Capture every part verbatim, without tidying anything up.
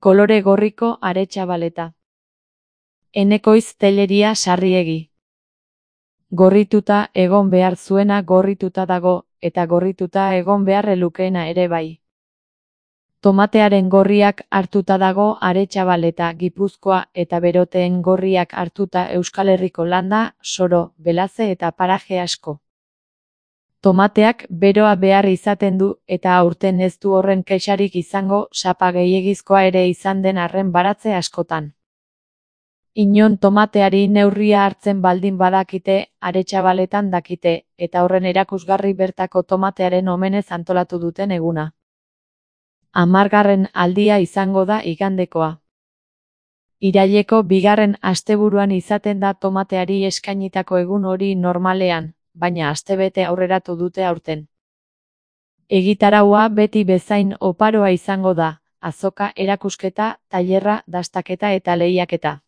Kolore gorriko aretxabaleta. Enekoiz Telleria Sarriegi. Gorrituta egon behar zuena gorrituta dago, eta gorrituta egon beharre lukeena ere bai. Tomatearen gorriak hartuta dago aretxabaleta Gipuzkoa eta beroteen gorriak hartuta Euskal Herriko landa, soro, belaze eta paraje asko. Tomateak beroa behar izaten du eta aurten ez du horren kexarik izango sapa gehiegizkoa ere izan den arren baratze askotan. Inon tomateari neurria hartzen baldin badakite, aretxabaletan dakite, eta horren erakusgarri bertako tomatearen omenez antolatu duten eguna. Hamargarren aldia izango da igandekoa. Iraileko bigarren asteburuan izaten da tomateari eskainitako egun hori normalean, baina astebete aurreratu dute aurten. Egitaraua beti bezain oparoa izango da, azoka, erakusketa, tailerra, dastaketa eta lehiaketa.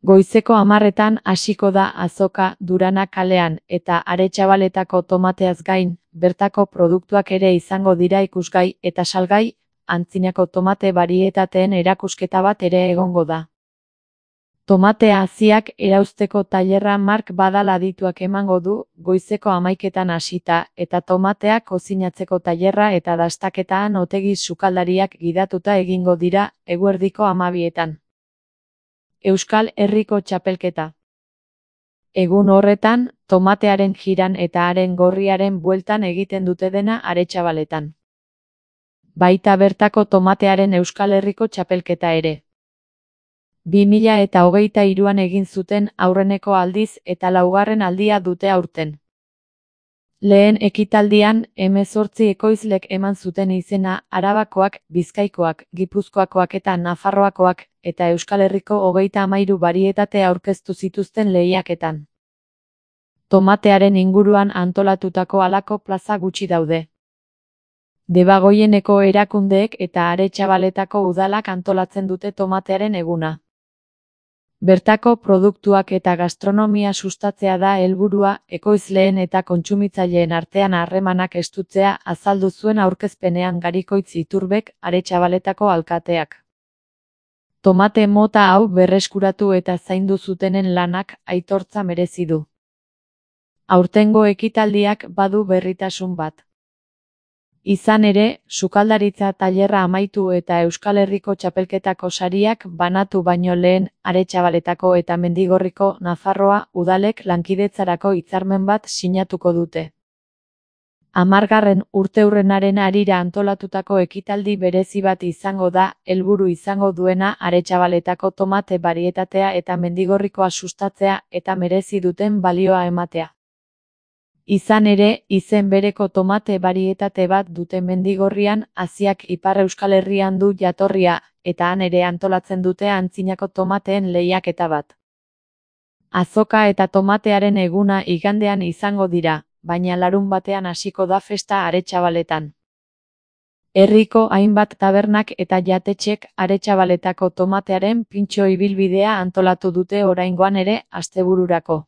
Goizeko hamarretan hasiko da azoka Durana kalean eta aretxabaletako tomateaz gain, bertako produktuak ere izango dira ikusgai eta salgai, antzinako tomate barietateen erakusketa bat ere egongo da. Tomatea haziak erauzteko tailerra Mark Badal adituak emango du, goizeko hamaiketan hasita, eta tomatea kozinatzeko tailerra eta dastaketaan Otegi sukaldariak gidatuta egingo dira, eguerdiko hamabietan. Euskal Herriko txapelketa. Egun horretan, tomatearen jiran eta haren gorriaren bueltan egiten dute dena aretxabaletan. Baita bertako tomatearen Euskal Herriko txapelketa ere. bi mila eta hogeita hiruan egin zuten aurreneko aldiz eta laugarren aldia dute aurten. Lehen ekitaldian, hemezortzi ekoizlek eman zuten izena Arabakoak, Bizkaikoak, Gipuzkoakoak eta Nafarroakoak, eta Euskal Herriko hogeita hamairu barietate aurkeztu zituzten lehiaketan. Tomatearen inguruan antolatutako halako plaza gutxi daude. Debagoieneko erakundeek eta aretxabaletako udalak antolatzen dute tomatearen eguna. Bertako produktuak eta gastronomia sustatzea da helburua, ekoizleen eta kontsumitzaileen artean harremanak estutzea azaldu zuen aurkezpenean Garikoitz Iturbek, aretxabaletako alkateak. Tomate mota hau berreskuratu eta zaindu zutenen lanak aitortza merezi du. Aurtengo ekitaldiak badu berritasun bat. Izan ere, sukaldaritza tailerra amaitu eta Euskal Herriko txapelketako sariak banatu baino lehen, aretxabaletako eta Mendigorriko Nafarroa udalek lankidetzarako hitzarmen bat sinatuko dute. Hamargarren urteurrenaren harira antolatutako ekitaldi berezi bat izango da, helburu izango duena aretxabaletako tomate barietatea eta Mendigorrikoa sustatzea eta merezi duten balioa ematea. Izan ere, izen bereko tomate barietate bat dute Mendigorrian, haziak Ipar Euskal Herrian du jatorria, eta han ere antolatzen dute antzinako tomateen lehiaketa bat. Azoka eta tomatearen eguna igandean izango dira, baina larun batean hasiko da festa aretxabaletan. Herriko hainbat tabernak eta jatetxek aretxabaletako tomatearen pintxo ibilbidea antolatu dute oraingoan ere astebururako.